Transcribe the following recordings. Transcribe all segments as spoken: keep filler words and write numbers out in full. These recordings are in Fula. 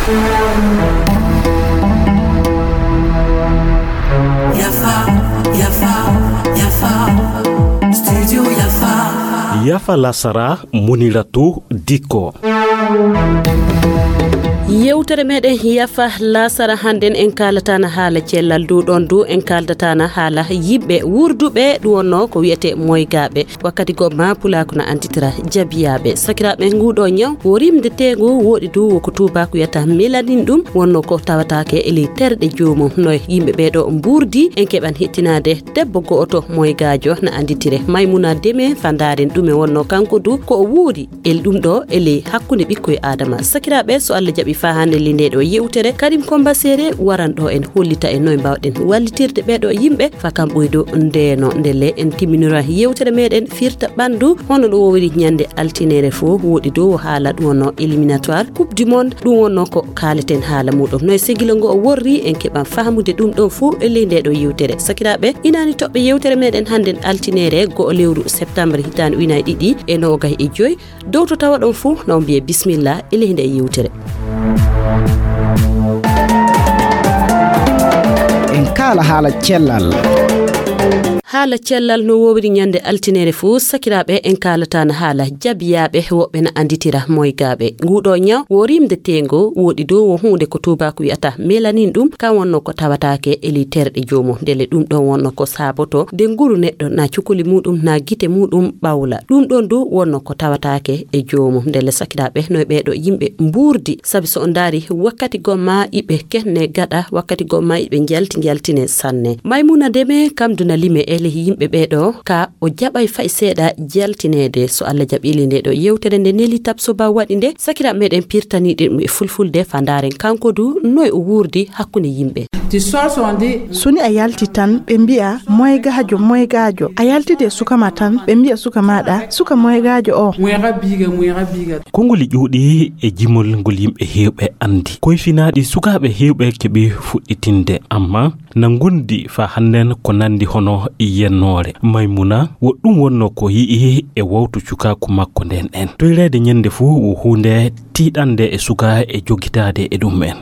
Yafa, Yafa, Yafa, Studio Yafa. Yafa Lasara, Muniratu Dikko. Yewtere meɗen Yafa Lasara hannden en kaalataana haala cellal du, ɗon du en kaaldataana haala yimɓe wurduɓe, ɗum wonno ko wiyetee moygaaɓe. Wakkati goo ma pulaaku na anditira jabiyaaɓe. Sakiraaɓe, nguɗo ñaw wo rimde teengu, woɗi du wo ko tuubaaku wiyata melanin, ɗum wonno ko tawataake e ley terɗe joomum. No yimɓe ɓee ɗo mburdi, en keɓan hettinaade debbo go'oto moygaajo na anditire Maymuna Deme, fa ndaaren ɗume wonno kanko du ko o wuuri e ɗum ɗo e ley hakkunde ɓikkoy Aadama. Sakiraaɓe, so Allah jaɓi fa hannde ley nde ɗo yewtere, Karim Komba Sere waran ɗo en hollita en noy mbawɗen wallitirde ɓee ɗo yimɓe fa kam ɓuydu ndeeno. Ndelle en timminora yewtere meɗen firta ɓandu, hono ɗo wowiri ñande altinere fo, woɗi dow haala ɗum wonno éliminatoire Coupe du Monde, ɗum wonno ko kaaleten haala muɗum. No e segilo ngo o worri, en keɓan faamude ɗum ɗon fo e ley nde ɗo yewtere. Sakiraaɓe, inaani toɓɓe yewtere meɗen hannden altinere go'o lewru septembre hitaande ujunaaji ɗiɗi e noogay e joy. Dow to tawa ɗon fo, na on mbiye bismillah e ley nde yewtere. En kaala haala cellal. Haala cellal no wowiri ñande altinere fo, sakiraaɓe, en kaalataana haala jabiyaaɓe, woɓɓe na anditira moygaaɓe. Nguɗo ñaw wo rimde teengo, woɗi dow wo huunde ko tuubaaku wiyata melanin, ɗum kan wonno ko tawataake e ley terɗe joomum. Ndelle ɗum ɗon wonno ko saaboto nde nguru neɗɗo na cukuli muɗum na gite muɗum ɓawla. Ɗum ɗon du wonno ko tawataake e joomum. Ndelle sakiraaɓe, no e ɓee ɗo yimɓe mburdi, sabi so on ndaari wakkati goo ma iɓe kenne gaɗa, wakkati goo ma iɓe njalti njaltine sanne. Maymuna Deme kam du na lime e ley yimɓe ɓee ɗo, ka o jaɓay fay seeɗa jaltineede. So Allah jaɓi ley nde ɗo yewtere nde Neli Tabsoba waɗi nde, sakiraaɓe meɗen pirtani ɗum e fulfulde fa ndaaren kanko du noy o wurdi hakkunde yimɓe. So ni a yalti tan, ɓe mbi'a moygaajo, moygaajo. A yaltidi e suka ma tan, ɓe mbi'a suka maɗa, suka moygaajo o. Konngoli ƴuuɗi e jimol ngol yimɓe heewɓe anndi. Koyfinaaɗi sukaaɓe heewɓe keɓi fuɗɗitinde, amma na ngondi fa hannden ko nanndi hono yennoore. Maymuna, wo ɗum wonno ko yi'i e wawtu cukaaku makko nden en. Toyreede ñande fuu wo huunde tiiɗande e suka e jogitaade e ɗum en.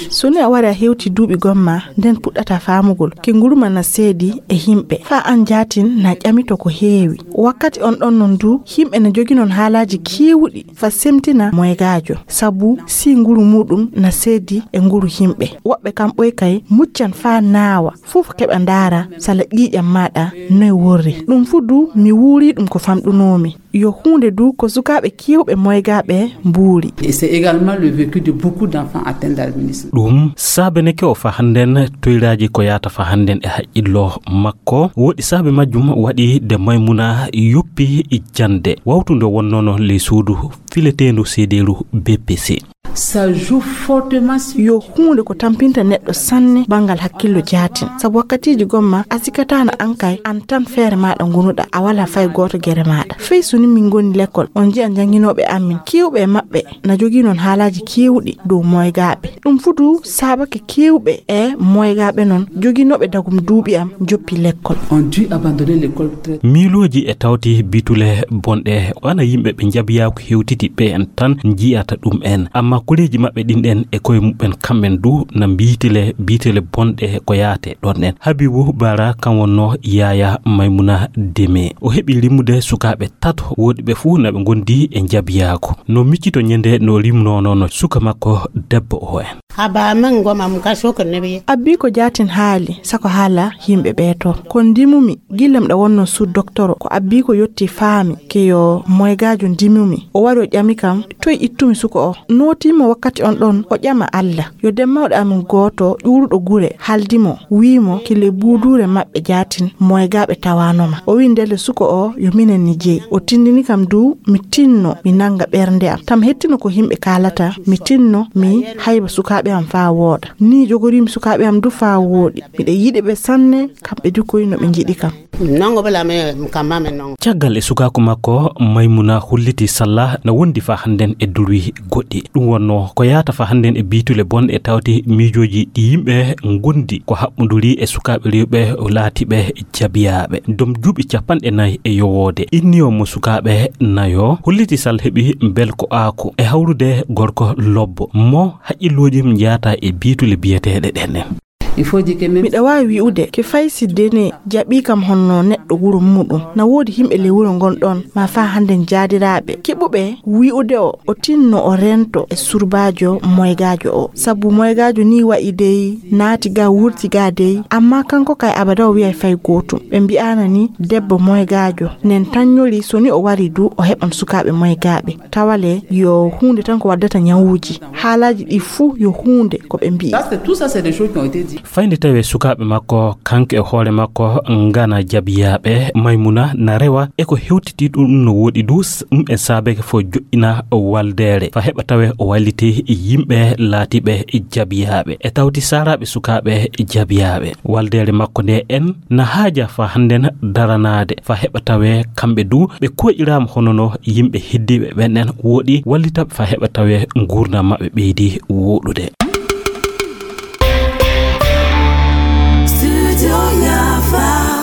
So ni a wari a hewti duuɓi gomma, nden puɗɗata faamugol ke nguruma na seedi e yimɓe. Fa an jaatin na ƴamito ko heewi. Wakkati on ɗon non du, yimɓe na joginon haalaaji keewuɗi fa semtina moygaajo, sabu si nguru muɗum na seedi e nguru yimɓe. Woɓɓe kam ɓoy kay muccan faa naawa, fof keɓa ndaara sala ƴiiƴam maɗa noy worri. Ɗum fu du mi wuuri ɗum ko famɗunoomi. Yo huunde du ko sukaaɓe keewɓe moygaaɓe mbuuri. Et c'est également le vécu de beaucoup d'enfants atteints d'albinisme. Ɗum saabeneke o fa hannden toyraaji ko yaata fa hannden e haqqillo makko. Woɗi saabe majjum waɗi de Maymuna yoppi jannde. Wawtu nde wonnono ley suudu fileteendu seedeeru B P C. Ça joue fortement sur. Yo huunde ko tampinta neɗɗo sanne banngal hakkillo jaatin. Sabu wakkatiiji gomma a sikataana an kay, an tan feere maaɗa ngonuɗa, a walaa fay gooto gere maaɗa. Fey so ni min ngoni lekkol, on nji'a njannginooɓe amin, keewɓe e maɓɓe na jogii noon haalaaji keewɗi dow moygaaɓe. Ɗum fu du saabake keewɓe e moygaaɓe noon joginooɓe dagum duuɓi am njoppi lekkol. On dû abandonner l'école très. Miilooji e tawti bitule bonɗe, wana yimɓe ɓe njabiyaaku hewtiti ɓe en tan njiyata ɗum en. Amma koreeji maɓɓe ɗin ɗen e koye muɓɓen kamɓen du na mbiitile, biitile bonɗe ko yaate ɗon en. Habibu Bara kan wonno yaaya Maymuna Deme. O heɓi rimmude sukaaɓe tato woɗi ɓe fuu na ɓe ngondi e njabiyaaku. No miccito ñande no rimnono no suka makko debbo o en. Haba min goma mu ka sokon ne bi. Abbi ko jaatin haali, sako haala yimɓe ɓee to. Ko ndimumi, gillam ɗa wonno sud doktoro, ko abbi ko yotti faami, ke yo moygaajo ndimumi. O wari o ƴami kam, toy ittumi suko o. Nootimo wakkati on ɗon, o ƴama Alla. Yo demmawɗo amin gooto ƴuuruɗo gure, haldi mo, wii mo, kile buuduure maɓɓe jaatin, moygaaɓe tawaanoma. O wii ndelle suko o, yo minen ni jeyi. O tindini kam du, mi tinno, mi nannga ɓernde am. Tam hettino ko yimɓe kaalata, mi tinno, mi hayba sukaaɓe am faa wooɗa. Nii jogoriimi sukaaɓe am du faa wooɗi. Miɗa yiɗi ɓe sanne, kamɓe du koy no ɓe njiɗi kam. Nongo bala me, kamma me nongo. Caggal e sukaaku makko, Maymuna holliti Salla na wondi faa hannden e durwi goɗɗi. Ɗum won No ko yahata fa hannden e biitule bonɗe tawti miijooji ɗi yimɓe ngondi ko haɓɓonduri e sukaaɓe rewɓe laatiiɓe jabiyaaɓe. Dom duuɓi capanɗe nayi e yowoode. Inniyo mo sukaaɓe nayo holliti sal heɓi belko aako e hawrude gorko lobbo mo haqqillooji mum njahata e biitule biyeteeɗe ɗen en. Miɗa waawi wi'ude ke fay si Dene jaɓii kam honno neɗɗo wuro muuɗum. Na woodi yimɓe ley wuro ngon ɗon, maa faa hannden jaadiraaɓe keɓuɓe wi'ude o, o tinno o rento e surbaajo moygaajo o. Sabu moygaajo nii wa'i dey, naati gaa, wurti gaa dey, ammaa kanko kay abada o wi'ay fay gootum. Ɓe mbi'aana ni debbo moygaajo, nen tannyori so ni o wari du, o heɓan sukaaɓe moygaaɓe. Tawale yo huunde tan ko waddata ñawuuji. Haalaaji ɗi fuu yo huunde ko ɓe mbi'i. Ça, c'est, tout ça, c'est des choses qui ont été dites. Fayde tawe sukaaɓe makko, kanko e hoore makko, ngana jabiyaaɓe. Maymuna na rewa e ko hewtiti ɗum no woɗi du, s-, ɗum en saabeke fo joɗɗina waldeere. Fa heɓa tawe o walliti yimɓe laatiiɓe jabiyaaɓe. E tawti saaraaɓe sukaaɓe jabiyaaɓe. Waldeere makko nde en na haaja fa hannden daranaade. Fa heɓa tawe kamɓe du ɓe koƴiraama hono no yimɓe heddiiɓe ɓen en woɗi wallitaɓe fa heɓa tawe nguurndam maɓɓe ɓeydi woɗude. Studio Yafa.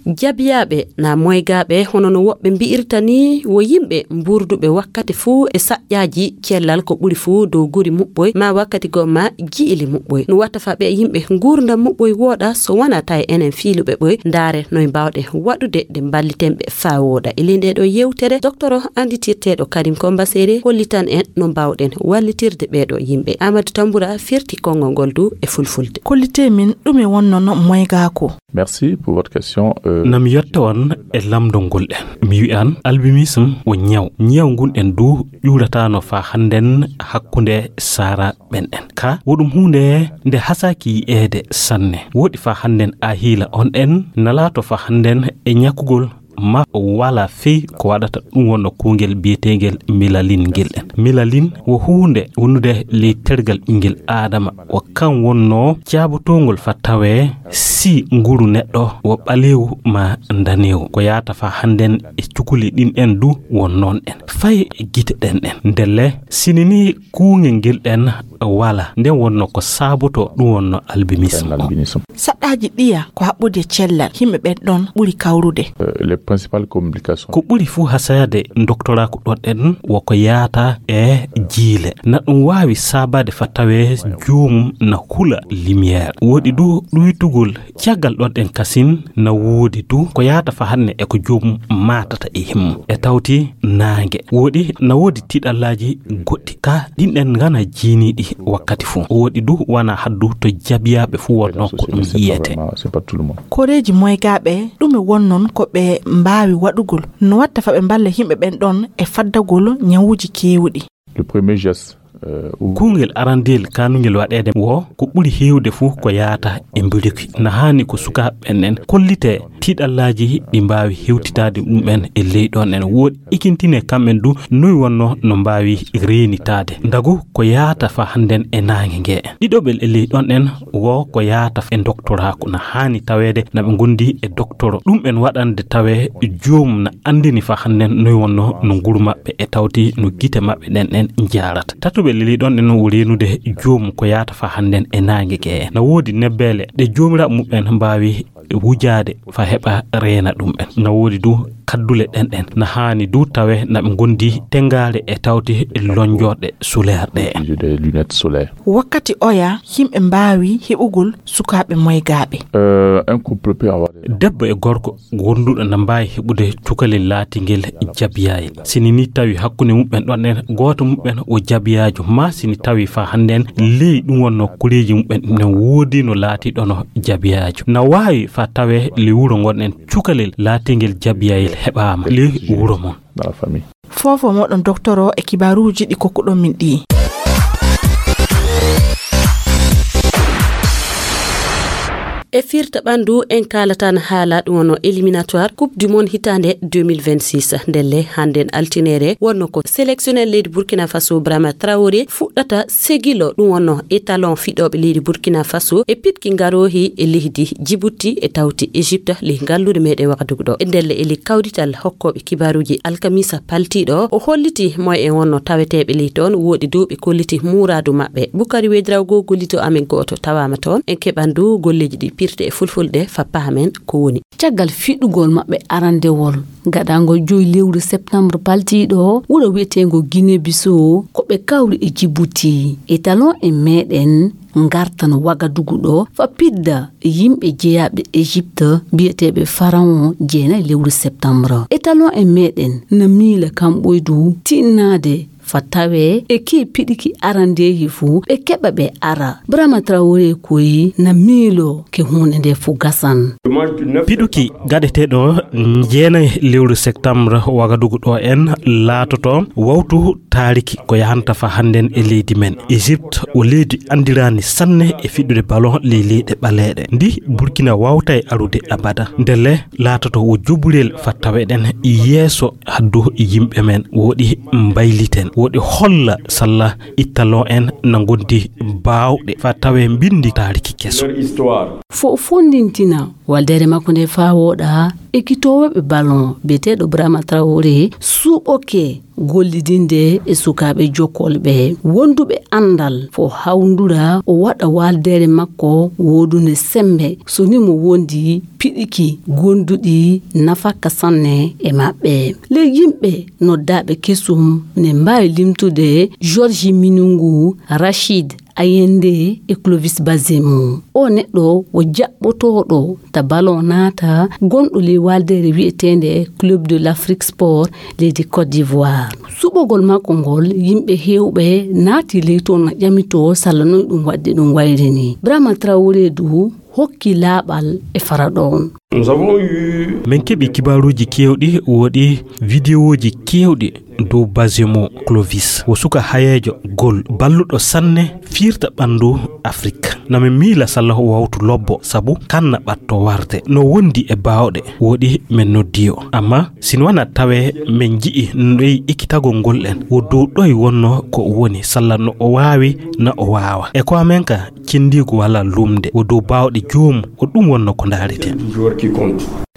Jabiyaaɓe na moygaaɓe, hono no woɓɓe mbi'irta ni, wo yimɓe mbuurduɓe wakkati fuu e saƴƴaaji cellal, ko ɓuri fuu dow guri muɓɓoy, ma wakkati goo ma ji'ili muɓɓoy. No watta fa ɓe yimɓe nguurndam muɓɓoy wooɗa, so wonaa tawi enen fiiluɓe ɓoy, ndaare noy mbaawɗen waɗude de mballiten ɓe faa wooɗa. E ley ndee ɗoo yewtere, doktoro annditirteeɗo Karim Komba Sere hollitan en no mbaawɗen wallitirde ɓee ɗoo yimɓe. Amadou Tamboura firti konngol ngol du e fulfulde. Kollitee min ɗume wonnono moygaako? Merci pour votre question. Euh, Na mi yetta on e lamndol ngol en. Mi wi'an albinisme wo ñaw. Ñaw ngun en du ƴuurataano faa hannden hakkunde saaraaɓe ɓen en. Ka wo ɗum huunde nde hasaaki yi'eede sanne. Woɗi faa hannden a hiila on en na laato faa hannden e ñakkugol ma wala fey ko waɗata ɗum wonno kuungel biyeteengel milalin ngel en. Milalin wo huunde wonnude ley tergal ɓinngel Aadama. Wo kan wonno caabotoongol fa tawee si nguru neɗɗo wo ɓaleewu ma ndaneewu. Ko yahata fa hannden e cukuli ɗin en du won noon en. Fay e gite ɗen en. Ndelle, sini ni kuungel ngel ɗen wala, nden wonno ko saaboto ɗum wonno albinisme o. Albinisme. Saɗɗaaji ɗiya ko haɓɓude cellal, yimɓe ɓen ɗon ɓuri kawrude. Euh, les principales complications. Ko ɓuri fuu hasayade doktoraaku ɗon en wo ko yaata e jiile. Na ɗum waawi saabaade fa tawee joomum na hula lumière. Woodi du ɗuytugol caggal ɗon en kasin na woodi du ko yaata fa hanne e ko joomum maatata e himmu. E tawti naange. Woodi na woodi tiiɗallaaji goɗɗi. Ka ɗin ɗen ngana jiiniiɗi wakkati fuu. Woodi du wana haddu to jabiyaaɓe fuu wonno ko ɗum yiyete. C'est pas vraiment, c'est pas tout le monde. Koreeji moygaaɓe, ɗume wonnon ko ɓe mbaawi waɗugol? No watta fa ɓe mballa yimɓe ɓen ɗon e faddagol ñawuuji keewuɗi? Le premier geste, euh, ou- Kuungel arandel kaanungel waɗeede wo ko ɓuri heewde fuu ko yaata e mbiluki. Na haani ko sukaaɓe ɓen en kollite tiiɗallaaji ɗi mbaawi hewtitaade ɗum en e ley ɗon en woodi ikintine kamɓen du noy wonno no mbaawi reenitaade. Ndagu ko yaata fa hannden e naange nge. Ɗiɗoɓel e ley ɗon en wo ko yaata e doktoraaku na haani taweede na ɓe ngondi e doktoro. Ɗum en waɗande tawe joomum na anndini fa hannden noy wonno no nguru maɓɓe e tawti no gite maɓɓe ɗen en njaarata. Tatoɓel e ley ɗon en wo reenude joomum ko yaata fa hannden e naange nge. Na woodi nebbeele ɗe joomiraaɓe muɓɓen mbaawi wujaade fa heɓa reena ɗum en. Na woodi du kaddule ɗen ɗen. Na haani du tawe na ɓe ngondi tengaare e tawti lonjorɗe solaire ɗe. Des lunettes solaires. Wakkati oya yimɓe mbaawi heɓugol sukaaɓe moygaaɓe. Euh, un couple peut avoir des- Debbo e gorko gonduɗo na mbaawi heɓude cukalel laatingel jabiyayel. Sini ni tawi hakkunde muɓɓen ɗon en gooto muɓɓen o jabiyaajo ma sini tawi fa hannden ley ɗum wonno kuleeji muɓɓen ne woodi no laatiɗono jabiyaajo. Na waawi fa tawe le wuro ngon en cukalel laatingel jabiyayel heɓaama le wuro mon. Dans la famille. Fofo moɗon doktoro e kibaruuji ɗi kokkuɗon min ɗi. E firta ɓandu en kaalatan haala ɗum wonno éliminatoire Coupe du Monde hitaande deux mille vingt-six. Ndelle hannden altineere wonno ko sélectionneur leydi Burkina Faso Brahima Traoré fuɗɗata segilo ɗum wonno étalon fiɗooɓe leydi Burkina Faso e piɗki ngaroohi e leydi Djibouti e tawti Égypte ley ngalluure meɗen Wagadugu ɗo. E ndelle e ley kawdital hokkooɓe kibaaruuji alkamisa paltiiɗo o holliti moy en wonno taweteeɓe ley toon woɗi dow ɓe kolliti muuraadu maɓɓe. Bukari Wedrago gollito amen gooto tawaama toon. En keɓan du golleeji ɗi pirte e fulfulde fappa amen ko woni. Caggal fiɗugol maɓɓe arandewol gaɗangol joyi lewru septembre paltiiɗo wuro wiyeteengo Guinée Bissau ko ɓe kawri e Djibouti. Étalon en meɗen ngartan Wagadugu ɗo fa pidda yimɓe jeyaaɓe Égypte biyeteeɓe Pharaon jeenayi lewru septembre. Étalon en meɗen na miila kamɓoydu tinnaade fa tawe e kii piɗiki arandeehi fuu ɓe keɓa ɓe ara. Brahima Traoré koyi na miilo ke huunde nde fuu gasan. Piɗuki gaɗeteeɗo jeenayi lewru septembre Wagadugu ɗo en laatoto wawtu taariki ko yahanta fa hannden e leydi men. Égypte o leydi anndiraani sanne e fiɗude ballon ley leyɗe ɓaleeɗe. Ndi Burkina wawtay arude abada. Ndelle laatoto wo joɓurel fa taweɗen yeeso haddu yimɓe men. Woɗi mbayliten. Woɗi holla salla ittalon en na ngondi baawɗe fa tawe mbindi taariki keso. Fo fondintina waldere makko nde faa wooɗa, ekitoowo ɓe ballon biyeteeɗo Brahima Traoré suɓoke gollidinde e sukaaɓe jokkolɓe wonduɓe anndal fo hawndura o waɗa waldere makko woodunde sembe so ni mo wondi piɗiki gonduɗi nafakka sanne e maɓɓe. Ley yimɓe noddaaɓe kesum ne mbaawi limtude Georges Minungu, Rachid Ayende e Clovis Bazemu. O neɗɗo wo jaɓɓotooɗo ta ballon naata gonɗo ley waldere wiyeteende Club de l'Afrique Sport leydi Côte d'Ivoire. Suɓogol makko ngol yimɓe heewɓe naati ley toon na ƴamitoo salla noy ɗum waɗde ɗum wayri ni. Brahima Traoré du hokki laaɓal e fara ɗoon. Min keɓi kibaaruuji keewɗi woɗi vidéoji keewɗi dow Bazemo Clovis wo suka hayeejo gol balluɗo sanne fiirta ɓanndu Afrik. Na min miila salla o wawtu lobbo sabu kanna ɓatto warde no wondi e baawɗe woɗi min noddi o. Amma si no wana tawe min nji'i noy ekkitagol ngol en wo dow ɗoy wonno ko o woni salla no o waawi na o waawa. E ko amen ka cendiigu wala lumde wo dow baawɗe joom o ɗum wonno ko ndaareten.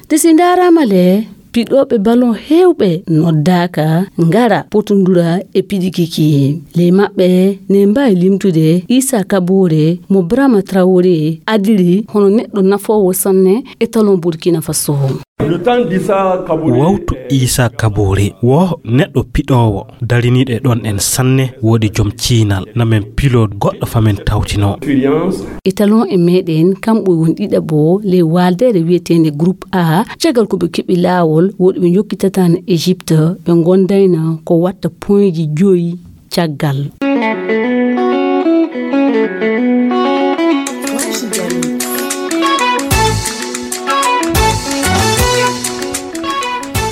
Te si ndaaraama le piɗooɓe ballon heewɓe noddaaka ngara potondura e piɗikiki ley maɓɓe ne mbaawi limtude Isa Kabore mo Brahima Traoré adiri hono neɗɗo nafoowo sanne e talon Burkina Faso. Wawtu Isa Kabore wo neɗɗo piɗoowo dariniiɗo e ɗon en sanne woodi joom ciinal na min pilo goɗɗo fa min tawtinoo. Étalon e meɗen kamɓe woni ɗiɗaɓo ley waaldeere wiyeteende groupe A caggal ko ɓe keɓi laawol woɗi ɓe jokkitataano Égypte ɓe ngondayna ko watta poinji joyi caggal.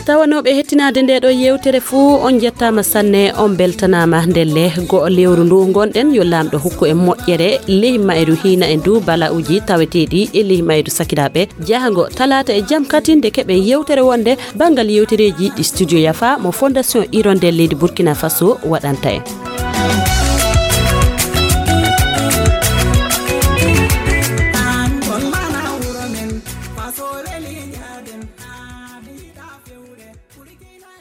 Tawanooɓe hettinaade nde ɗo yewtere fuu on njettaama sanne on beltanaama ndelle go'o lewru ndu ngonɗen yo laamɗo hokku en moƴƴere ley mayru hiina en du bala'uuji taweteeɗi e ley mayru sakiraaɓe jahango talaata e jam katin nde keɓen yewtere wonde banngal yewtereeji ɗi studio yafa mo fondation hirondelle leydi Burkina Faso waɗanta en.